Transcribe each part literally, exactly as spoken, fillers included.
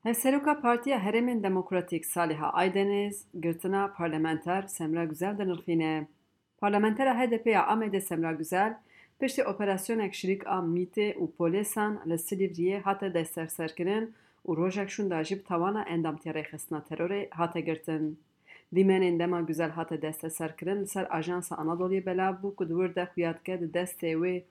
Hevseroka Partiya Herêmên Demokratîk Saliha Aydeniz girtina parlamenter Semra Güzel dinirxîne. Parlamentera H D P ya Amedê Semra Güzel, piştî operasyonek ji rîk a mîtê û polêsan li Silîvriyê hate desteserkirin û rojek şûnda jî bi tawana endamtiya rêxistina terorê hate girtin. Dîmenên dema Güzel hate desteserkirin li ser Ajansa Anadoluyê belav bû ku di wir de xuya dike di destê wê,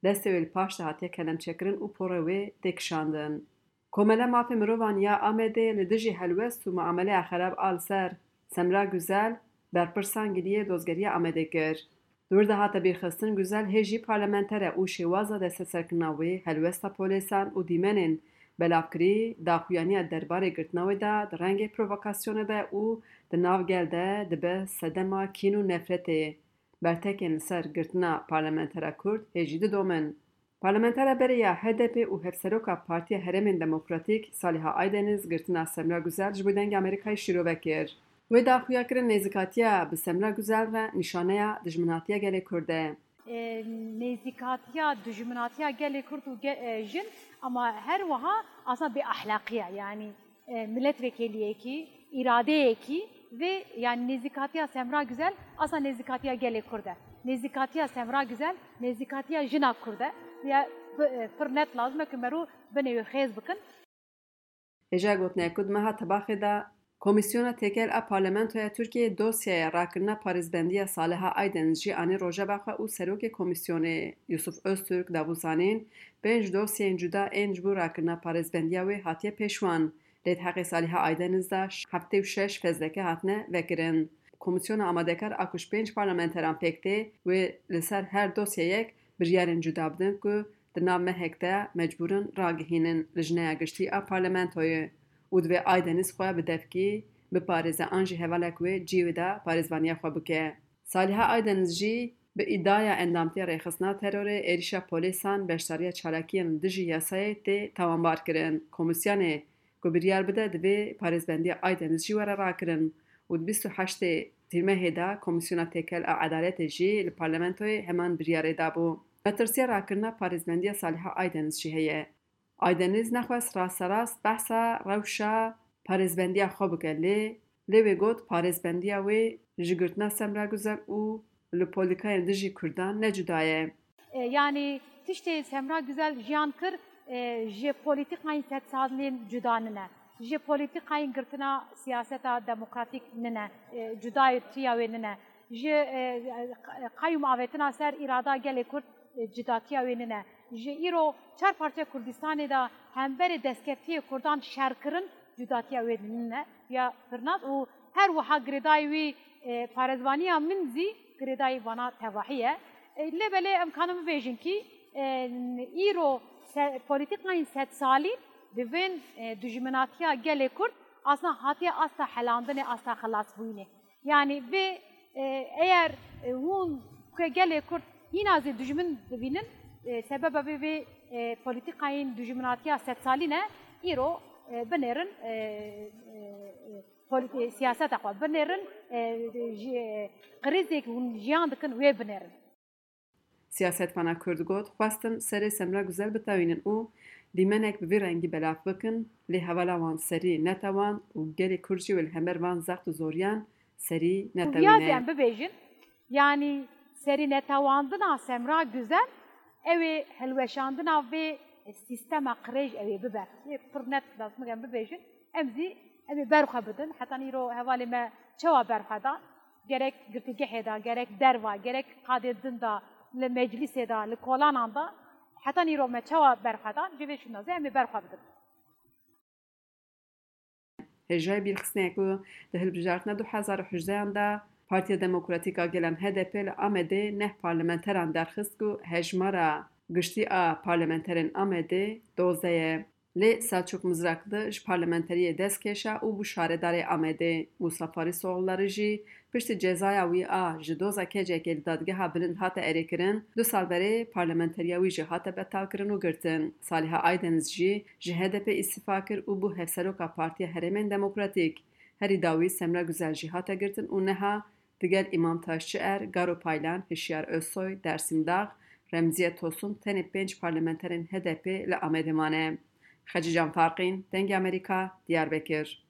destê wê li paş de hatiye kelemçekirin û porê wê tê kişandin. Komela Mafê Mirovan ya Amedê li dijî helwest û muameleya xerab a li ser Semra Güzel berpirsan giliyê dozgeriya Amedê kir. Di wir de hate bîrxistin Güzel hê jî parlamenter e û şêwaza desteserkirina wê, helwesta polêsan û dîmenên belavkirî daxuyaniya derbarê girtina wê de di rengê provokasyonê de û di nav gel de dibe sedema kîn û nefretê. Bertekên li ser girtina parlamentera Kurd hê jî didomin. Parlamentera berê ya H D P û hevseroka Partiya Herêmên Demokratîk Saliha Aydeniz girtina Semra Güzel ji bo Dengê Amerîkayê şîrove kir. Wê daxuya kirin nêzîkatiya bi Semra Güzel re nîşaneya dijminatiya gelê Kurd e. E, nêzîkatiya dijminatiya gelê Kurd û ge-, e, jin, ama her wiha aslında bêahlaqî ye. Yanî e, milletvekiliyekî, îradeyekî vê, yani nêzîkatiya Semra Güzel, aslında nêzîkatiya gelê Kurd e. Nêzîkatiya Semra Güzel, nêzîkatiya jina Kurd e. Ya bi-, e, pir net lazim e ku merû binê wê xêz bikin. Hêja gotinê ku di meha Tebaxê de Komîsyona Têkel a Parlamentoya Tirkiyeyê dosyaya rakirina parêzbendiya Saliha Aydeniz jî anî rojeva xwe û serokê komîsyonê Yusuf Öztürk da bû zanîn, pênc dosyeyên cuda ên ji bo rakirina parêzbendiya wê hatiye pêşwan. Lê di heqê Saliha Aydeniz de heftê û şeş fezleke hatine vekirin. Komîsyona amadekar a ku ji pênc parlamenteran pêk tê, wê li ser her dosyeyek biryarên cuda bidin ku di nav mehek de mecbûr in ragihînin lijneya giştî a parlamentoyê û divê Aydeniz xwe bi devkî biparêze an jî hevalek wê cî wê de parêzvaniya xwe bike. Saliha Aydeniz jî bi îdaya endamtiya rêxistina terorê êrîşa polîsan beşdariya çalakiyên li dijî yasayê tê tawanbar kirin. Komîsyonê ku biryar bide, divê parêzbendiya Aydeniz jî were rakirin û di bîst û heştê Tîrmehê de Komîsyona Têkel a Edaletê jî li parlamentoyê heman biryarê dabû. Metirsiya rakirina parêzbendiya Saliha Aydeniz jî heye. Aydeniz nexwest rasterast behsa rewşa parêzbendiya xwe bike, lê lê wê got parêzbendiya wê ji girtina Semra Guzel û li polîtîkayên dijî Kurdan ne cuda ye. E, yanî tiştê Semra Güzel jiyan kir, e, ji polîtîkayên sedsalîn cuda nine. Ji polîtîkayên girtina siyaseta demokratîk nine. E, cudayetiya wê nine. Ji, e, qeyûm avêtina ser îrada gelê Kurd, e, cudatiya wê nine. Ji îro çar parçe Kurdistanê de hemberê destkeftiyê Kurdan şerkirin cudatiya wê nine. Ya pirnat û her wiha girêdayî wî, e, parêzvaniya min zî girêdayî vana tevahî ye. E, lê belê em kanin bibêjin kî, e, îro se-, polîtîkayên sedsalî bi vên, e, dijminatiya gelê Kurd asna hatiye asta helandinê, asta xilasbûyînê. Yanî vê, e, eyer, e, hûn ku gelê Kurd hîna zî dijmin dibînin, e, sebeba vê, vê, e, polîtîkayên dijminatiya sedsalî ne, îro, e, binêrin, e, e, e, polîtî-, siyaseta xwe binêrin, e, ji, e, krîzê ku hûn jiyan dikin wê binêrin. Siyasetvana Kurd got, xwestin serê Semra Guzel bitewînin û dîmenek bi vî rengî belav bikin, lê hevala wan serî netewan û gelê Kurd jî wê li hember van zext û zoriyan serî netewîne. Em bibêjin, yanî serî netewandina Semra Guzel, ew ê hilweşandina vê sîstema qirêj ew ê bibe. Ê pir net lazim e em bibêjin, em zî em ê berxwe bidin. Heta îro hevalê me çawa berxwe da? Gerek girtîgehê de, gerek derva, gerek qadê din de, li meclîsê de, li kolanan de, heta îro me çawa berxwe da, ji vê şûna zî em ê berxwe bidin. Hêjayî bîrxistinê ye ku di hilbijartina du hezar û hejdehan de Partiya Demokratîk a Gelan H D P li Amedê neh parlamenteran derxist ku hejmara giştî a parlamenterên Amedê dozdeh ye. Lê Selçuk Mizrakli ji parlamenteriyê dest kêşa û bû şaredarê Amedê. Mûsa Farîsoğulları jî piştî cezaya wî a ji doza kecekê li dadgeha bilind hate erêkirin, du sal berê parlamenteriya wî jî hate betalkirin û girtin. Saliha Aydeniz jî ji H D P îstifa kir û bû hevseroka Partiya Herêmên Demokratîk. Herî dawî Semra Güzel jî hate girtin û niha digel Îmam Taşçıer, Garo Paylan, Hişyar Özsoy, Dersim Dağ, Remziye Tosun tenê pênc parlamenterên H D P li Amedê mane. Xecîcan Farqîn, Dengê Amerîka, Diyarbekir.